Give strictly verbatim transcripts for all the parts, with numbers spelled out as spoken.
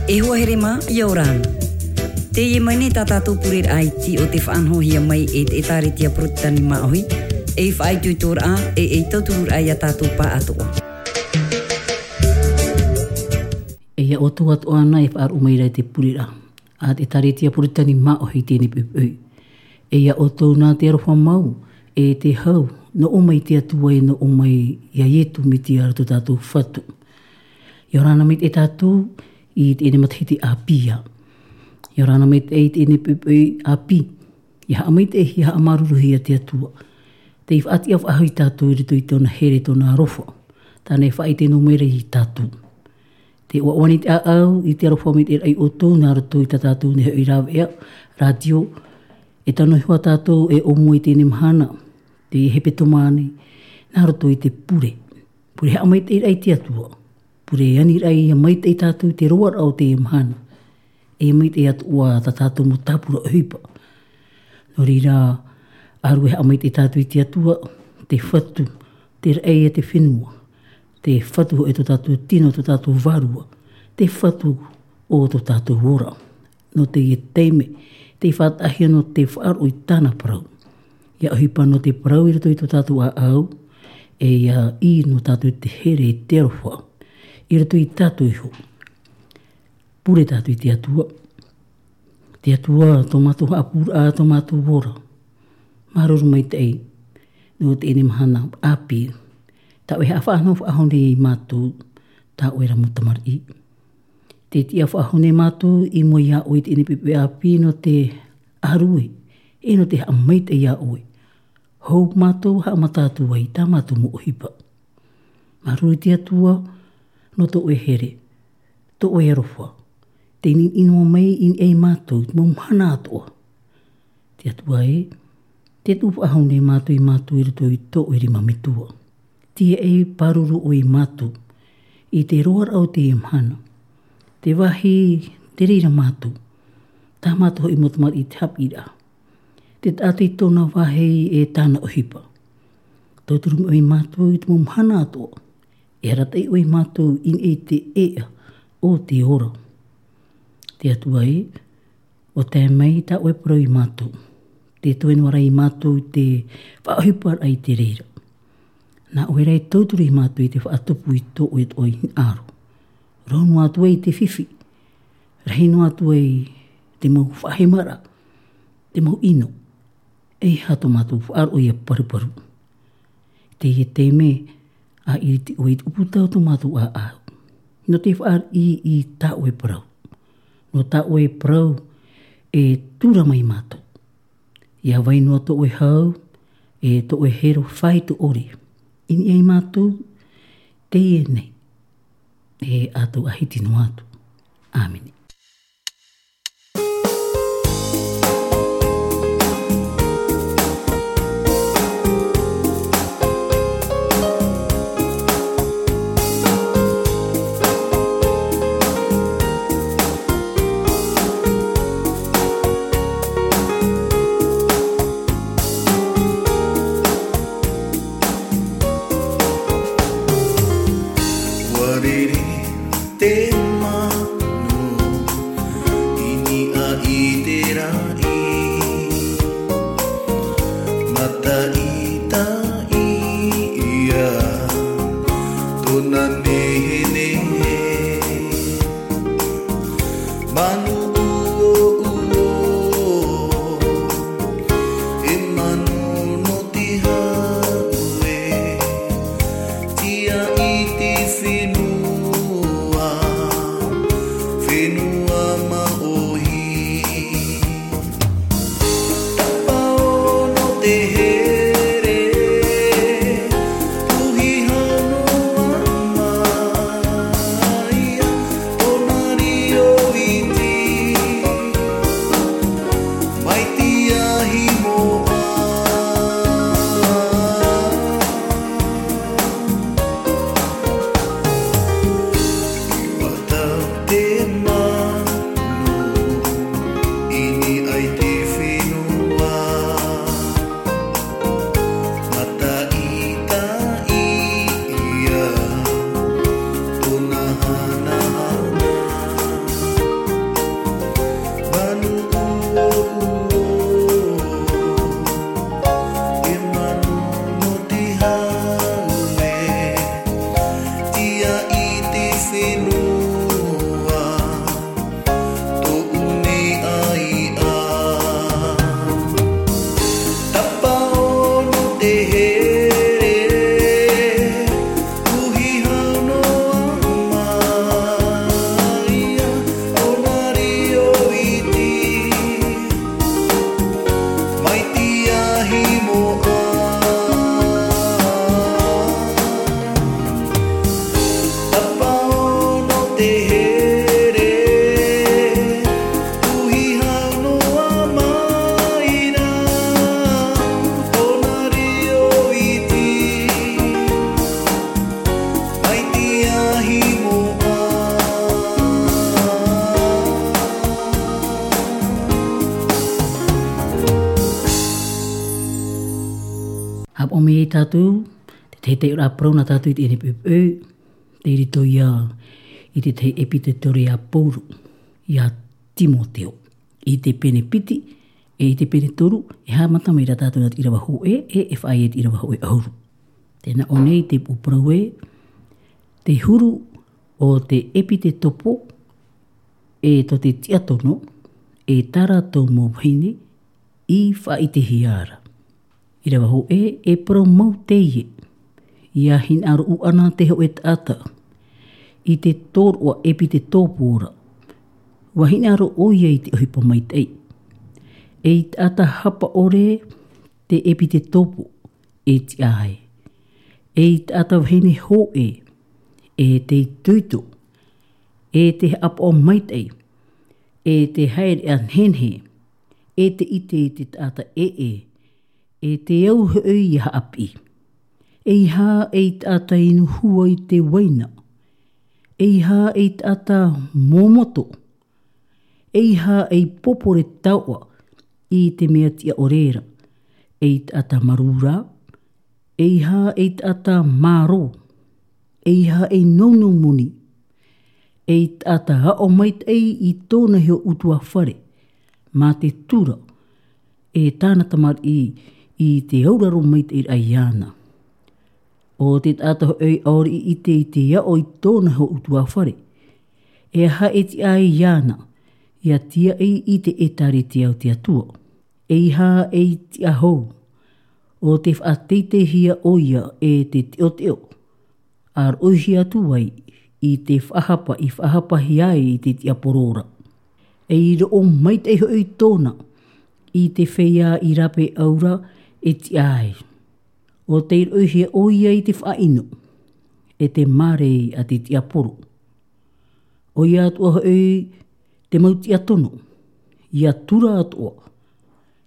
E hoa here mā, ʻia ora na. Teie mai nei tā tātou pureraʻa iti o te faʻanahohia mai e te ʻĒtārētia Porotetani Māʻohi, ei faʻaitoitoraʻa, e ei tautururaʻa ia tātou pāʻatoʻa. E ia ʻoutou atoʻa na e faʻaroʻo mai ra i te pureraʻa a te ʻĒtārētia Porotetani Māʻohi i teie nei poʻipoʻi. E ia ʻoutou na te aroha mau, e te hau, nō ʻō mai te Atua e nō ʻō mai ia Ietu Metia tō tātou Fatu. ʻIa ora na maitaʻi tātou i teie nei matahiti ʻāpī. ʻIa ora na maitaʻi i teie nei poʻipoʻi ʻāpī. ʻIa haʻamaitaʻi, ʻia haʻamāuruuruhia te Atua. Tei faʻatiʻa faʻahou ia tātou i roto i tōna here, tōna aroha. Tāna e faʻaʻite noa mai ra ia tātou. Tē ʻoaʻoa nei te ʻāʻau i te aroha maitaʻi ia ʻoutou nā roto i tā tātou nei hoʻi rāveʻa, rātio, e tano iho ā tātou e ʻōmua i teie nei mahana, teie hepetoma nei, nā roto i te pure. Pure haʻamaitaʻiraʻa i te Atua. Pure aniraʻa ia maitaʻi ia tātou i te roaraʻa o teie mahana. E maitaʻi atoʻa tā tātou mau tāpura ʻohipa. Nō reira, ʻārue haʻamaitaʻi ia tātou i te Atua, te Fatu, te raʻi a te fenua, te Fatu hoʻi tō tātou tino, tō tātou vārua, te Fatu o tō tātou ora. Nō teie taime, tei faʻataʻahia nō te faʻaroʻo i tāna parau. ʻIa ʻohipa nō te parau i roto i tō tātou ʻāʻau, e ʻia ʻī nō tātou te here i te aroha, i roto ia tātou iho. Pure tātou i te Atua. Te Atua, tō mātou haʻapūraʻa, tō mātou ora. Māuruuru maitaʻi, nō teie nei mahana ʻāpī. Tā ʻoe e haʻafaʻanaho faʻahou nei ia mātou, tā ʻoe ra mau tamariʻi. Tē tiʻa faʻahou nei mātou i mua ia ʻoe i teie nei poʻipoʻi ʻāpī nō te ʻārue, e nō te haʻamaitaʻi ia ʻoe. Hou mātou haʻamata atu ai i tā mātou mau ʻohipa. Māuruuru i te Atua, nō tō ʻoe here, tō ʻoe aroha. Tei niʻihi noa mai i niʻa ia mātou, i te mau mahana atoʻa. Te Atua ē, tē tuʻu faʻahou nei mātou ia mātou i roto i tō ʻoe rima metua. Tiaʻi, pāruru ʻoe ia mātou. I te roaraʻa o teie mahana. Te vāhi, tē reira mātou. Tā mātou hoʻi mau tamariʻi i te haʻapiʻiraʻa. Te taʻata i tōna vāhi e tāna ʻohipa. Tauturu mai ʻoe ia mātou i te mau mahana atoʻa. E arataʻi ʻoe ia mātou i niʻa i te ʻēʻa o te ora. Te Atua ē, ʻo tae mai tā ʻoe parau ia mātou. Tē toe noa ra ia mātou i te faʻaʻohiparaʻa i te reira. Nā ʻoe rā e tauturu ia mātou i te faʻatupu i tō ʻoe atoʻa hinaʻaro. Roa noa atu ai te fifi. Rahi noa atu ai te mau faʻahemaraʻa. Te mau ʻino. ʻEiaha tō mātou faʻaroʻo ʻia paruparu. Teie taime, ʻa ʻiriti ʻoe i te ʻūputa o tō mātou ʻāʻau. Nō te fāriʻi i tā ʻoe parau. Nō tā ʻoe parau e tū ra mai ia mātou. ʻIa vai noa tō ʻoe hau, e tō ʻoe here faito ʻore. I niʻa ia mātou, teie nei. E ʻa tau ʻāhiti noa atu. ʻĀmene. Ua riri te manu. Noa, tōʻu nei ʻaiʻa. Tapaʻo nō te here, puhi hau noa mai ia, ʻo nā riro iti. Mai te ahi moʻa. Tapaʻo nō te here, puhi hau noa mai ia, ʻo nā riro iti. Mai te ahi moʻa. Haʻapaʻo mai tātou, te tahi taiʻoraʻa parau nā tātou i teie nei poʻipoʻi, tei roto ia i te tahi ʻepitetoro a Pauro ia Timoteo. I te pene piti, e i te pene toru, e haʻamata mai ra tātou nā te ʻīrava hōʻē, e, e faʻaea i te ʻīrava hōʻē ʻahuru. Tē nā ʻō nei te pū parau ē, te huru o te ʻepitetopo, e tō te tiʻa tono, e tā rātou mau vahine i faʻaʻitehia ra. ʻĪrava hōʻē, e parau mau teie, ʻia hinaʻaro ʻana te hōʻē taʻata i te tōroʻa ʻepitetopo ra, ʻua hinaʻaro ʻoia i te ʻohipa maitaʻi. Ei taʻata hapa ʻore te ʻepitetopo, e tiʻa ai. Ei taʻata vahine hōʻē, e te itoito, e te haʻapaʻo maitaʻi, e te haereʻa nehenehe, e te ʻite i te taʻata ʻē, e te au hoʻi ʻia haʻapiʻi. ʻEiaha ei taʻata inu hua i te uaina, ʻeiaha ei taʻata momoto, ʻeiaha ei popore taoʻa i te mea tiʻa ʻore ra, ei taʻata marū ra, ʻeiaha ei taʻata mārō, ʻeiaha ei nounou moni, ei taʻata aʻo maitaʻi i tōna iho ʻutuāfare, mā te tura, e tāna tamariʻi i te auraro maitaʻi raʻa iāna. ʻO te taʻata hoʻi ʻaore i ʻite i te aʻo i tōna iho ʻutuāfare, e aha e tiʻa ai iāna, ʻia tiaʻi i te ʻētārētia o te Atua. ʻEiaha ei tiʻa hou, ʻo tē faʻateiteihia ʻoia e te teʻoteʻo, ʻa roʻohia atu ai i te faʻahapa i faʻahapahia ai i te tiaporo ra. Ei roʻo maitaʻi hoʻi tōna i te feiā i rāpae ʻau ra e tiʻa ai. ʻO tei roʻohia ʻoia i te faʻaʻino, e te mārei a te tiaporo. ʻOia atoʻa hoʻi te mau tiʻa tono, ʻia tura atoʻa,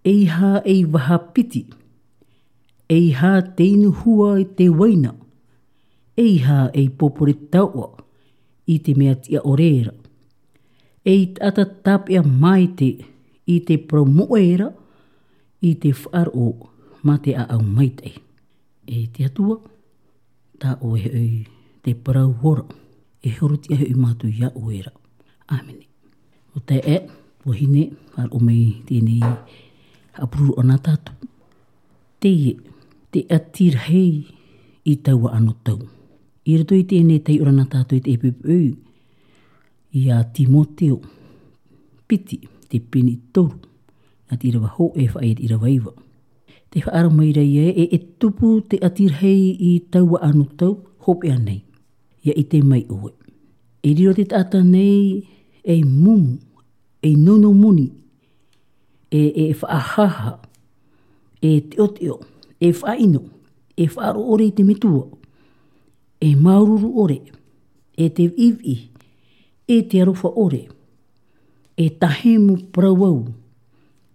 ʻeiaha ei vaha piti, ʻeiaha te inu hua i te uaina, ʻeiaha ei popore taoʻa i te mea tiʻa ʻore ra. Ei taʻata tāpeʻa maitaʻi i te parau moʻe ra, i te faʻaroʻo mā te ʻāʻau maitaʻi. E te Atua, tā ʻoe hoʻi te parau ora, e horotiʻa hoʻi mātou iā ʻoe ra. ʻĀmene. ʻO taeaʻe, tuahine, haʻaroʻo mai teie nei haʻapuroroʻa nā tātou. Teie, te ʻati rahi i taua anotau. I roto i teie nei taiʻoraʻa nā tātou i te ʻepipeʻu, iā Timoteo, piti, te pene toru, nā te ʻīrava hōʻē faʻaʻite i te ʻīrava iva. Tē faʻaara mai ra ē, e, e tupu te ʻati rahi i taua anotau, hopeʻa nei. ʻIa ʻite mai ʻoe. E riro te taʻata nei, ei mumu, ei nounou moni, e, e faʻahaha, e teʻoteʻo, e faʻaʻino, e faʻaroʻo ʻore i te metua, e māuruuru ʻore, e te viʻiviʻi, e te aroha ʻore, e tahemu parau au,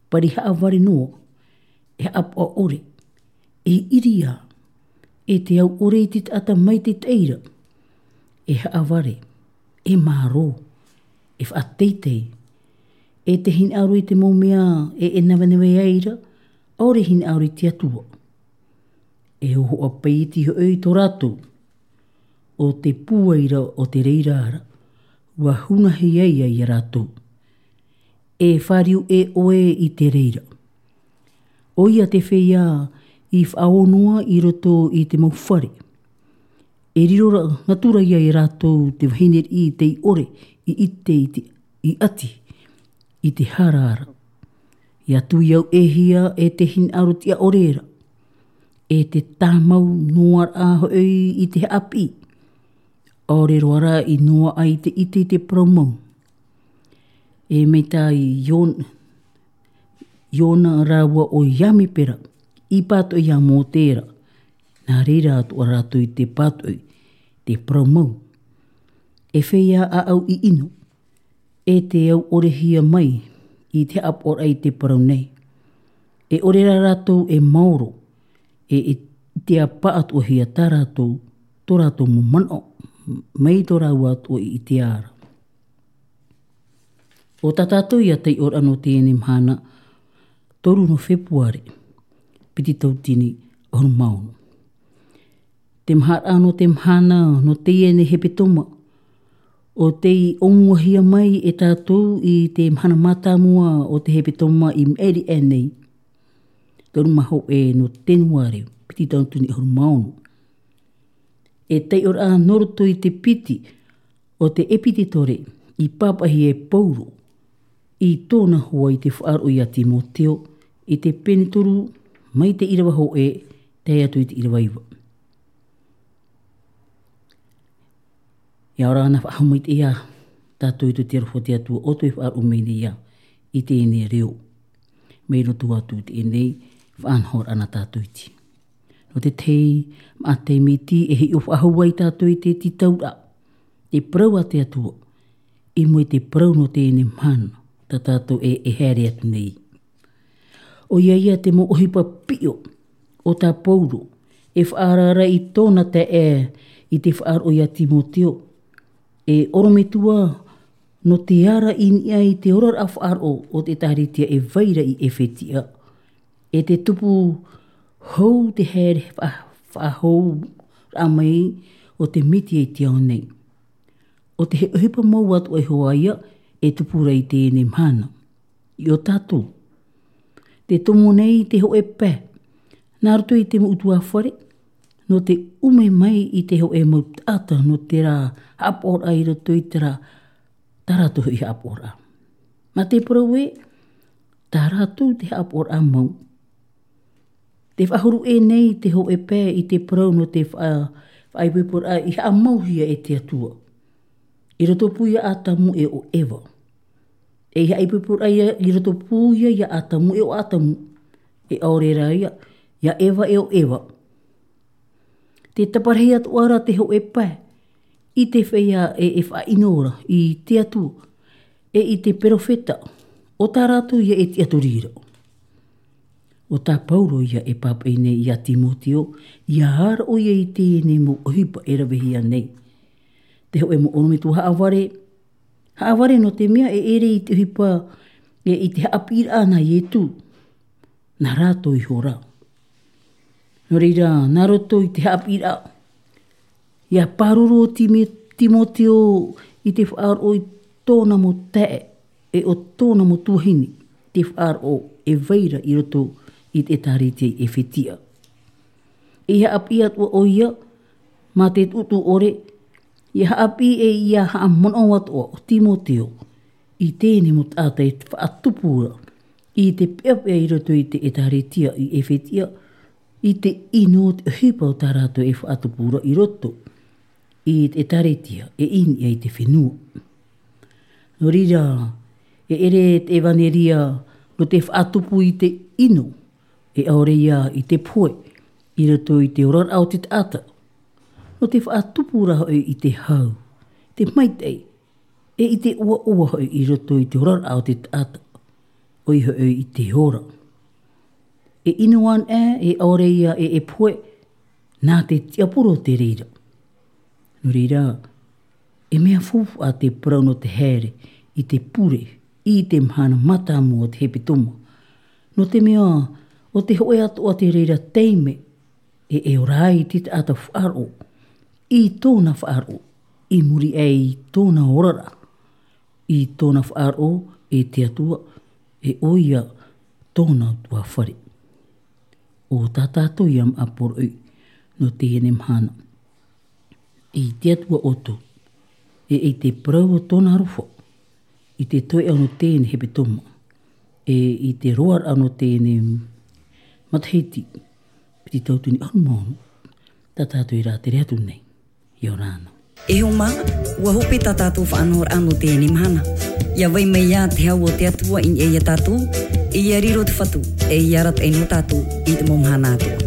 pari haʻavare noa, e haʻapaʻo ʻore, e ʻiriā, e te au ʻore i te taʻata maitaʻi ra, e haʻavare, e mārō, e faʻateitei, e te hinaʻaro i te mau mea e, e navenave ai ra, ʻaore hinaʻaro i te Atua. E hōhoʻa paʻiti hoʻi tō rātou, ʻo te pūai ra o te reira ra, ʻua hunahi ai ia rātou. E fāriu ʻē ʻoe i te reira. ʻOia te feiā i faʻaō noa i roto i te mau fare. E riro ra, natura ia e rātou te vahine riʻi tei ʻore i ʻite i te, i ʻati, i te hara ra. Ia tui au e hia e te hinaʻaro tiʻa ʻore ra, e te tāmau noa rā hoʻi i te haʻapiʻi. ʻAore roa rā i noa ai te ʻite i te parau mau. E mai tā i Ion-, Iona rāua ʻo Iamipera, i pātoʻi iā Mōte ra. Nā reira atoʻa rātou i te pātoʻi, te parau mau. E feiā ʻāʻau i ʻino, e te au ʻorehia mai i te haʻapaʻoraʻa i te parau nei. E ʻore rā rātou e maoro, e, e te ʻāpā atoʻa hia tā rātou, tō rātou mau manaʻo, mai tō rāua atoʻa i te ara. ʻO tā tātou ia taiʻoraʻa nō teie mahana, toru nō Fepuare, piti tauatini ʻahuru mā ono. Te maharaʻa nō te mahana, nō teie nei hepetoma, ʻo tei ʻōmuahia mai e tātou i te mahana mātāmua o te hepetoma i maʻiri aʻe nei. Toru mā hōʻē nō Tenuare, piti tauatini ʻahuru mā ono. E taiʻoraʻa nō roto i te piti o te ʻepitetore i pāpaʻihia e Paulo i tōna hoa i te faʻaroʻo iā Timoteo, i te pene toru mai te ʻīrava hōʻē, tae atu i te ʻīrava iva. Ia ora na faʻahou mai te ia tātou i tō te aroha o te Atua ʻo tē faʻaroʻo mai nei ia i teie nei reo. Mai roto atu i teie nei faʻanahoraʻa nā tātou iti. Nō te tahi maʻa taime iti e hiʻo faʻahou ai tātou i te tītauraʻa, te parau a te Atua, i mua i te parau nō teie mahana, tā tātou e, e haere atu nei. ʻOia ia te mau ʻohipa piʻo o tā Paulo, e faʻaara ra i tōna taeaʻe i te faʻaroʻo iā Timoteo, e ʻorometua nō te ara i niʻa i te oraraʻa faʻaroʻo o te ʻĒtārētia e vai ra i Efetia, e te tupu hou te haere fa-, faʻahou raʻa mai o te Metia i te ao nei. ʻO te ʻohipa mau atoʻa iho ā ia e tupu ra i teie mahana. I ō tātou. Te tomo nei te hōʻē pae. Nā roto i te mau ʻutuāfare, nō te ʻume mai i te hōʻē mau taʻata, nō terā haʻapaʻoraʻa i roto i terā, tā rātou hoʻi haʻapaʻoraʻa. Mā te parau ē, tā rātou te haʻapaʻoraʻa mau. Te faʻahuru ʻē nei te hōʻē pae i te parau nō te faʻa-, faʻaipoiporaʻa i haʻamauhia e te Atua. I roto pū ia Atamu e ʻo Eva. E i haʻaipoiporaʻa ia, i roto pū ia ia Atamu e ʻo Atamu. E ʻaore rā ia, ia Eva e ʻo Eva. Te taparahi atoʻa ra te hōʻē pae, i te feiā e, e faʻaʻino ra i te Atua, e i te perofeta, ʻo tā rātou ia e tiʻaturi ra. ʻO tā Paulo ia e pāpaʻi nei iā Timoteo, ia ʻāraʻo ia i teie nei mau ʻohipa e ravehia nei. Te hōʻē mau ʻorometua haʻavare, haʻavare nō te mea e ʻere i te ʻohipa, e i te haʻapiʻiraʻa nā Ietu. Nā rātou iho rā. Nō reira, nā roto i te haʻapiʻiraʻa, ia pāruru ʻo Timi-, Timoteo i te faʻaroʻo i tōna mau taeaʻe, e ʻo tōna mau tuahine, te faʻaroʻo e vai ra i roto i te ʻĒtārētia i Efetia. E haʻapiʻi atoʻa ʻoia, mā te tuʻutuʻu ʻore, ia haʻapiʻi e ia haʻamanaʻo atoʻa ʻo Timoteo, i teie nei mau taʻata e faʻatupu ra, i te peʻapeʻa i roto i te ʻĒtārētia i Efetia, i te ʻino o te ʻohipa o tā rātou e faʻatupu ra i roto i te ʻĒtārētia, e i niʻa i te fenua. Nō reira, e ʻere te ʻevaneria nō te faʻatupu i te ʻino, e ʻaore ia i te pohe, i roto i te oraraʻa o te taʻata. Nō te faʻatupu ra hoʻi i te hau, te maitaʻi, e i te ʻoaʻoa hoʻi i roto i te oraraʻa o te taʻata, ʻoia hoʻi i te ora. E ʻino anaʻe, e ʻaore ia e, e pohe, nā te tiaporo te reira. Nō reira, e mea faufaʻa te parau nō te haere i te pure, i te mahana mātāmua o te hepetoma. Nō te mea, ʻo te hōʻē atoʻa te reira taime, e, e ora ai te taʻata faʻaroʻo, i tōna faʻaroʻo, i muri aʻe i tōna oraraʻa, i tōna faʻaroʻo e te Atua, e ʻoia tōna ʻutuāfare. ʻO tā tātou ia maʻa poroʻi, nō teie nei mahana. i te Atua ʻoutou, e i te parau o tōna aroha, i te toeʻa nō teie nei hepetoma, e i te roaraʻa nō teie nei matahiti, piti tauatini ʻahuru mā ono, tā tātou e rātere atu nei. ʻIa ora na. E hoa mā, ʻua hope tā tātou faʻanahoraʻa nō teie nei mahana. ʻIa vai mai ā te hau o te Atua i niʻa ia tātou, e ʻia riro te Fatu, e ʻia arataʻi nō tātou i te mau mahana atoʻa.